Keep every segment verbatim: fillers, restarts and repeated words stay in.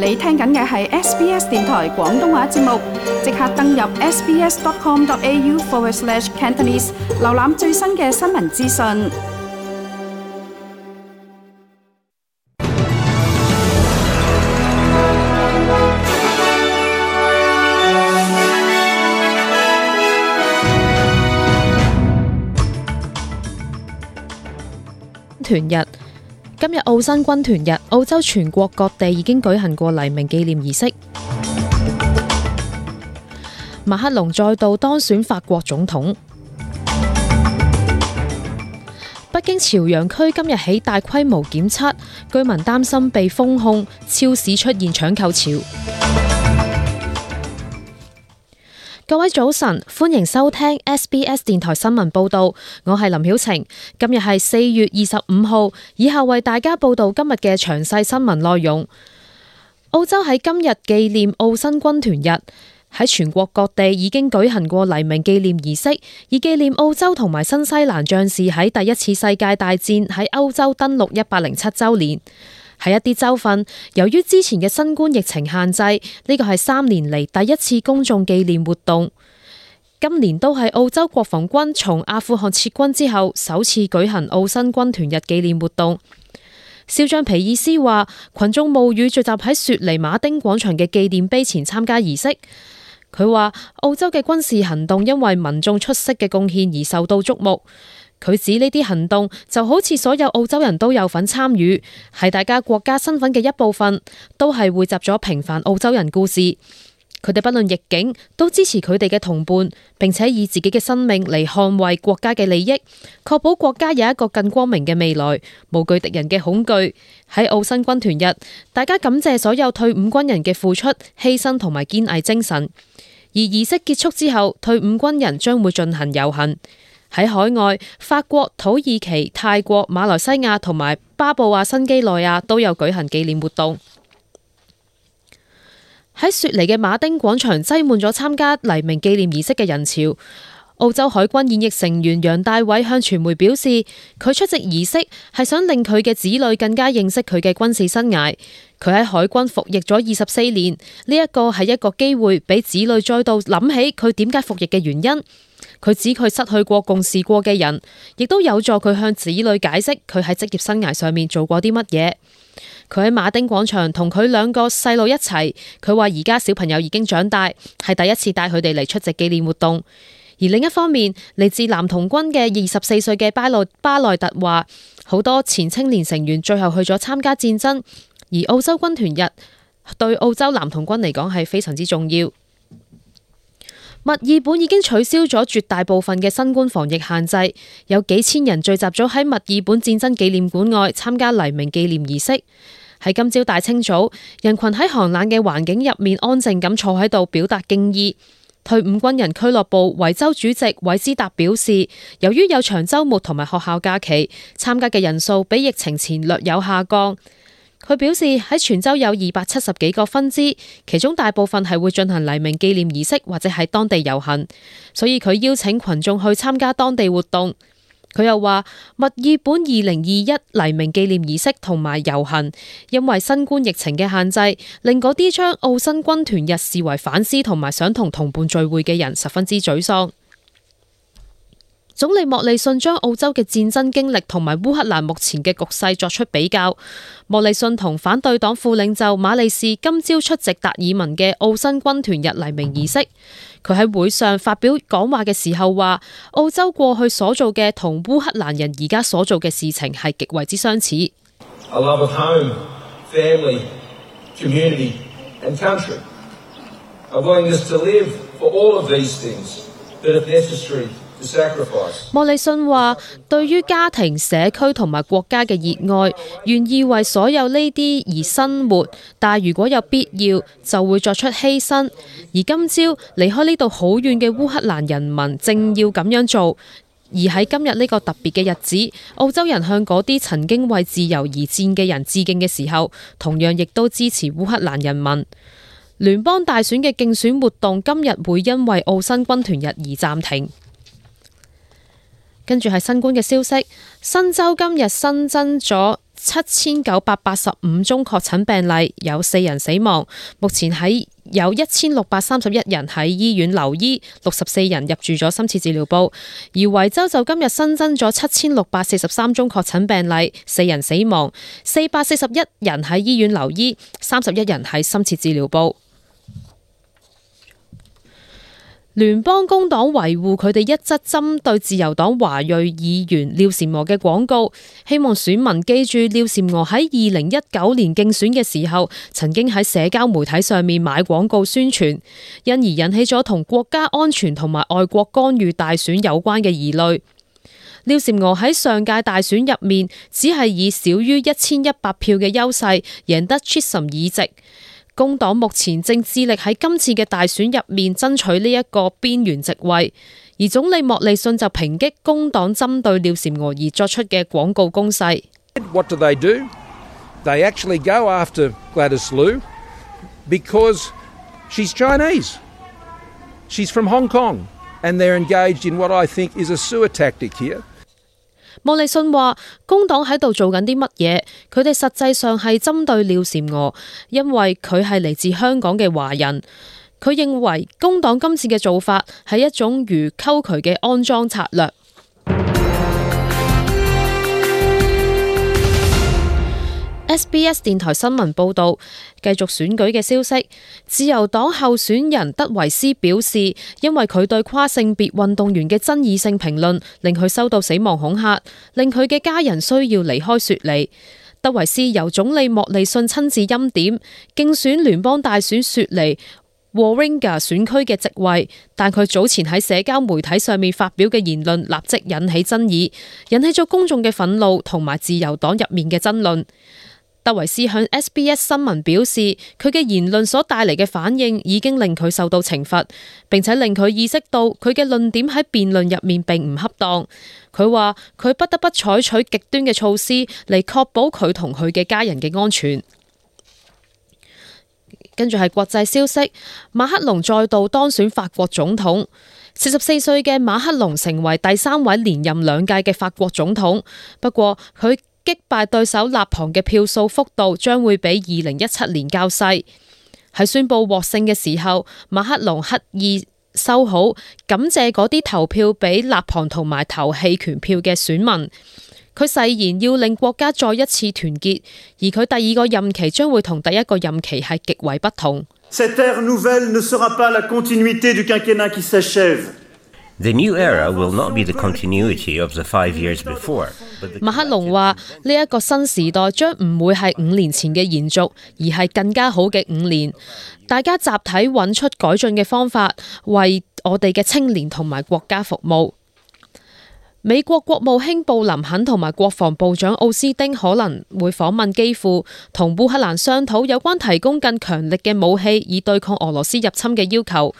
你聽緊嘅係 S B S 電台廣東話節目，即刻登入 sbs.com.au forward slash Cantonese， 瀏覽最新嘅新聞資訊。團日，今日澳新軍團日，澳洲全國各地已經舉行過黎明紀念儀式。馬克龍再度當選法國總統。北京朝陽區今日起大規模檢測，居民擔心被封控，超市出現搶購潮。各位早晨，歡迎收聽 S B S 電台新聞報道，我係林曉晴。今日係四月二十五號，以下為大家報道今日嘅詳細新聞內容。澳洲喺今日紀念澳新軍團日，喺全國各地已經舉行過黎明紀念儀式，以紀念澳洲同埋新西蘭將士喺第一次世界大戰喺歐洲登陸一百零七週年。喺一啲州份，由於之前嘅新冠疫情限制，呢個係三年嚟第一次公眾紀念活動。今年都係澳洲國防軍從阿富汗撤軍之後首次舉行澳新軍團日紀念活動。少將皮爾斯話，群眾冒雨聚集喺雪梨馬丁廣場嘅紀念碑前參加儀式。佢話澳洲嘅軍事行動因為民眾出色嘅貢獻而受到矚目。佢指呢啲行動就好似所有澳洲人都有份參與，係大家國家身份嘅一部分，都係匯集咗平凡澳洲人故事。佢哋不論逆境，都支持佢哋嘅同伴，並且以自己嘅生命嚟捍衛國家嘅利益，確保國家有一個更光明嘅未來，無懼敵人嘅恐懼。喺澳新軍團日，大家感謝所有退伍軍人嘅付出、犧牲同埋堅毅精神。而儀式結束之後，退伍軍人將會進行遊行。喺海外，法國、土耳其、泰國、馬來西亞同埋巴布亞新幾內亞都有舉行紀念活動。喺雪梨嘅馬丁廣場擠滿咗參加黎明紀念儀式嘅人潮。澳洲海軍現役成員楊大偉向傳媒表示，佢出席儀式係想令佢嘅子女更加認識佢嘅軍事生涯。佢喺海軍服役咗二十四年，呢一個係一個機會俾子女再度諗起佢點解服役嘅原因。佢指佢失去過共事過嘅人，亦都有助佢向子女解釋佢喺職業生涯上面做過啲乜嘢。佢喺馬丁廣場同佢兩個細路一齊，佢話而家小朋友已經長大，係第一次帶佢哋嚟出席紀念活動。而另一方面，嚟自男童軍嘅二十四歲嘅巴內巴內特話，好多前青年成員最後去咗參加戰爭，而澳洲軍團日對澳洲男童軍嚟講係非常之重要。墨爾本已經取消咗絕大部分嘅新冠防疫限制，有幾千人聚集咗喺墨爾本戰爭紀念館外參加黎明紀念儀式。喺今朝大清早，人群喺寒冷嘅環境入面安靜咁坐喺度表達敬意。退伍軍人俱樂部維州主席韋斯達表示，由於有長週末同埋學校假期，參加嘅人數比疫情前略有下降。佢表示喺全州有二百七十幾個分支，其中大部分係會進行黎明紀念儀式或者喺當地遊行，所以佢邀請群眾去參加當地活動。佢又話，墨爾本二零二一黎明紀念儀式同埋遊行，因為新冠疫情嘅限制，令嗰啲將澳新軍團日視為反思同埋想同同伴聚會嘅人十分之沮喪。總理莫里遜將澳洲嘅戰爭經歷同埋烏克蘭目前嘅局勢作出比較。莫里遜同反對黨副領袖馬利士今朝出席達爾文嘅澳新軍團日黎明儀式。佢喺會上發表講話嘅時候話，澳洲過去所做嘅同烏克蘭人而家所做嘅事情係極為之相似。A love of home, family, community and country. A willingness to live for all of these things that if necessary.莫里遜話，對於家庭、社區同埋國家嘅熱愛，願意為所有呢啲而生活，但係如果有必要，就會作出犧牲。而今朝離開呢度好遠嘅烏克蘭人民正要咁樣做。而喺今日呢個特別嘅日子，澳洲人向嗰啲曾經為自由而戰嘅人致敬嘅時候，同樣亦都支持烏克蘭人民。聯邦大選嘅競選活動今日會因為澳新軍團日而暫停。跟住係新冠嘅消息，新州今日新增咗七千九百八十五宗確診病例，有四人死亡。目前喺有一千六百三十一人喺醫院留醫，六十四人入住咗深切治療部。而維州就今日新增咗七千六百四十三宗確診病例，四人死亡，四百四十一人喺醫院留醫，三十一人喺深切治療部。聯邦工黨維護佢哋一則針對自由黨華裔議員廖嬋娥嘅廣告，希望選民記住廖嬋娥喺二零一九年競選嘅時候，曾經喺社交媒體上面買廣告宣傳，因而引起咗同國家安全同埋外國干預大選有關嘅疑慮。廖嬋娥喺上屆大選入面，只係以少於一千一百票嘅優勢贏得 Chisholm 議席。工黨目前正致力喺今次嘅大選入面爭取呢一個邊緣席位，而總理莫利遜就抨擊工黨針對廖嬋娥而作出嘅廣告攻勢。What do they do? They actually go after Gladys Liu because she's Chinese. She's from Hong Kong, and they're engaged in what I think is a sewer tactic here.莫利遜話：工黨喺度做緊啲乜嘢？佢哋實際上係針對廖嬋娥，因為佢係嚟自香港嘅華人。佢認為工黨今次嘅做法係一種如溝渠嘅安裝策略。S B S 電台新聞報導，繼續選舉嘅消息。自由黨候選人德維斯表示，因為佢對跨性別運動員嘅爭議性評論，令佢收到死亡恐嚇，令佢嘅家人需要離開雪梨。德維斯由總理莫利遜親自欽點，競選聯邦大選雪梨 Warringah 選區嘅席位，但佢早前喺社交媒體上面發表嘅言論立即引起爭議，引起咗公眾嘅憤怒同埋自由黨入面嘅爭論。德維斯向 S B S 新聞表示，佢嘅言論所帶嚟嘅反應已經令佢受到懲罰，並且令佢意識到佢嘅論點喺辯論入面並唔恰當。佢話佢不得不採取極端嘅措施嚟確保佢同佢嘅家人嘅安全。跟住係國際消息，馬克龍再度當選法國總統。四十四歲嘅馬克龍成為第三位連任兩屆嘅法國總統，不過佢擊敗對手勒龐嘅票數幅度將會比二零一七年較細。喺宣布獲勝嘅時候，馬克龍刻意收好，感謝嗰啲投票俾勒龐同埋投棄權票嘅選民。佢誓言要令國家再一次團結，而佢第二個任期將會同第一個任期係極為不同。Cette ère nouvelle ne sera pas la continuité du quinquennat qui s'achève.The new era will not be the continuity of the five years before. 馬克龍話：呢一個新時代將唔會係五年前嘅延續，而係更加好嘅五年。大家集體揾出改進嘅方法，為我哋嘅青年同埋國家服務。美國國務卿布林肯同埋國防部長奧斯汀可能會訪問基輔，同烏克蘭商討有關提供更強力嘅武器，以對抗俄羅斯入侵嘅要求。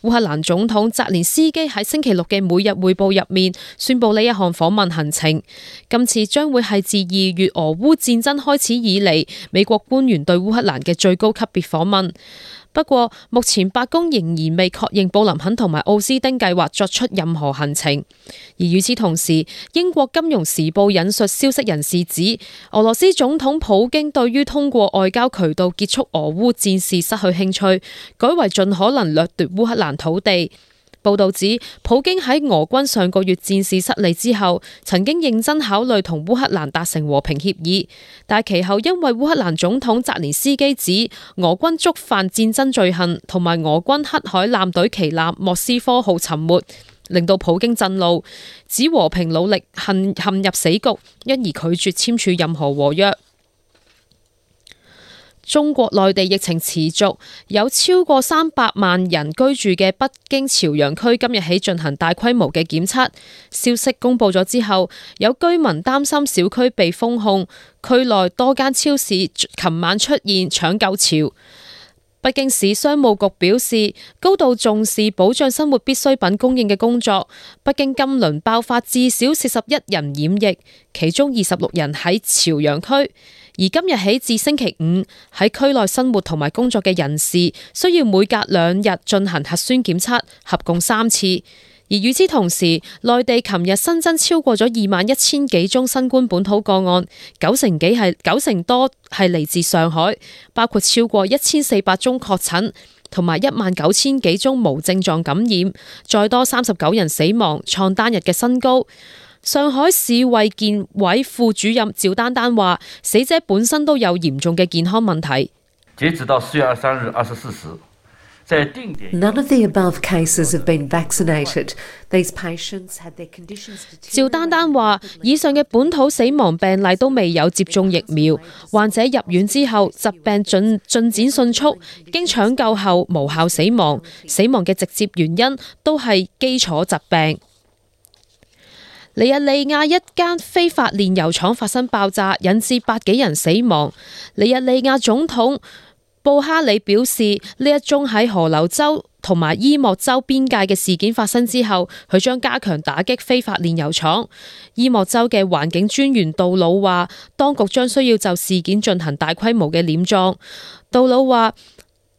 烏克蘭總統澤連斯基喺星期六嘅每日匯報入面宣布呢一項訪問行程。今次將會係自二月俄烏戰爭開始以嚟，美國官員對烏克蘭嘅最高級別訪問。不過，目前白宮仍然未確認布林肯同埋奧斯汀計劃作出任何行程。而與此同時，英國金融時報引述消息人士指，俄羅斯總統普京對於通過外交渠道結束俄烏戰事失去興趣，改為盡可能掠奪烏克蘭土地。報道指，普京喺俄軍上個月戰事失利之後，曾經認真考慮同烏克蘭達成和平協議，但其後因為烏克蘭總統澤連斯基指俄軍觸犯戰爭罪行，同埋俄軍黑海艦隊旗艦莫斯科號沉沒，令到普京震怒，指和平努力陷陷入死局，因而拒絕簽署任何和約。中國內地疫情持續，有超過三百萬人居住嘅北京朝陽區今日起進行大規模嘅檢測。消息公布咗之後，有居民擔心小區被封控，區內多間超市琴晚出現搶購潮。北京市商務局表示，高度重視保障生活必需品供應嘅工作。北京今輪爆發至少四十一人染疫，其中二十六人喺朝陽區。而今日起至星期五，喺區內生活同埋工作嘅人士需要每隔兩日進行核酸檢測，合共三次。而與此同時，內地琴日新增超過咗二萬一千幾宗新冠本土個案，九成幾係九成多係嚟自上海，包括超過一千四百宗確診，同埋一萬九千幾宗無症狀感染，再多三十九人死亡，創單日嘅新高。上海市衛健委副主任趙丹丹話，死者本身都有嚴重嘅健康問題。截止到四月二十三日二十四時。None of the above cases have been vaccinated. These patients had their conditions deteriorated. 趙丹丹話：以上嘅本土死亡病例都未有接種疫苗，患者入院之後疾病進進展迅速，經搶救後無效死亡，死亡嘅直接原因都係基礎疾病。尼日利亞一間非法煉油廠發生爆炸，引致百幾人死亡。尼日利亞總統布哈里表示，呢一宗喺河流州同埋伊莫州邊界嘅事件發生之後，佢將加強打擊非法煉油廠。伊莫州嘅環境專員杜魯話，當局將需要就事件進行大規模嘅殮葬。杜魯話，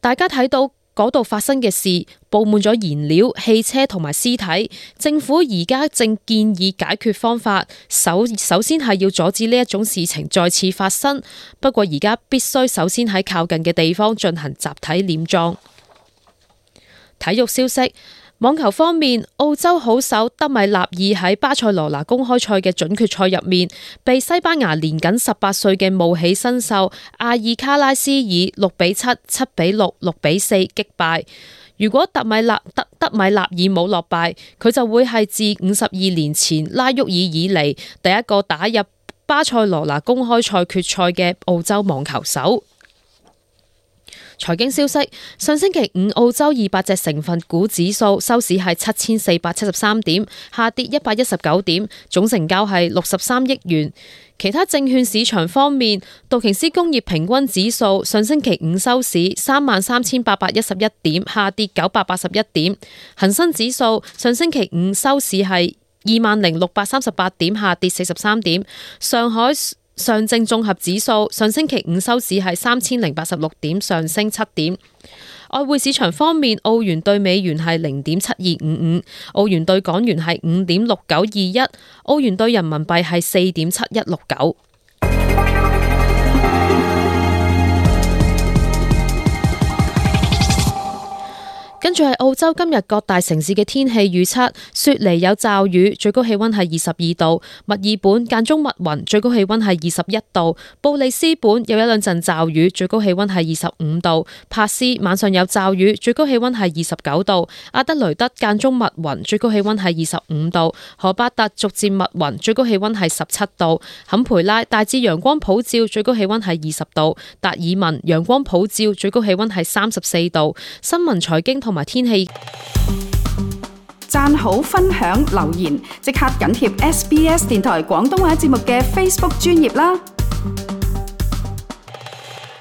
大家睇到嗰度發生嘅事，佈滿咗燃料、汽車同埋屍體。政府而家正建議解決方法，首首先係要阻止呢一種事情再次發生。不過而家必須首先喺靠近嘅地方進行集體殮葬。體育消息。網球方面，澳洲好手德米納爾喺巴塞羅那公開賽嘅準決賽入面，被西班牙年僅十八歲嘅冒起新秀阿爾卡拉斯以六比七、七比六、六比四擊敗。如果德米納德德米納爾冇落敗，佢就會係自五十二年前拉沃爾以嚟第一個打入巴塞羅那公開賽決賽嘅澳洲網球手。財經消息，上星期五澳洲二百隻成分股指數收市係七千四百七十三點，下跌一百一十九點，總成交係六十三億元。其他證券市場方面，道瓊斯工業平均指數上星期五收市三萬三千八百一十一點，下跌九百八十一點。恒生指數上星期五收市係二萬零六百三十八點，下跌四十三點。上海上證綜合指數上星期五收市係三千零八十六點，上升七點。外匯市場方面，澳元對美元係零點七二五五，澳元對港元係五點六九二一，澳元對人民幣係四點七一六九。跟住係澳洲今日各大城市嘅天氣預測：雪梨有驟雨，最高氣溫係二十二度；墨爾本間中密雲，最高氣溫係二十一度；布里斯本有一兩陣驟雨，最高氣溫係二十五度；帕斯晚上有驟雨，最高氣溫係二十九度；阿德雷德間中密雲，最高氣溫係二十五度；荷巴特逐漸密雲，最高氣溫係十七度；坎培拉大致陽光普照，最高氣溫係二十度；達爾文陽光普照，最高氣溫係三十四度。新聞財經同同埋天氣，讚好分享留言，即刻緊貼 S B S 電台廣東話節目嘅 Facebook 專頁啦！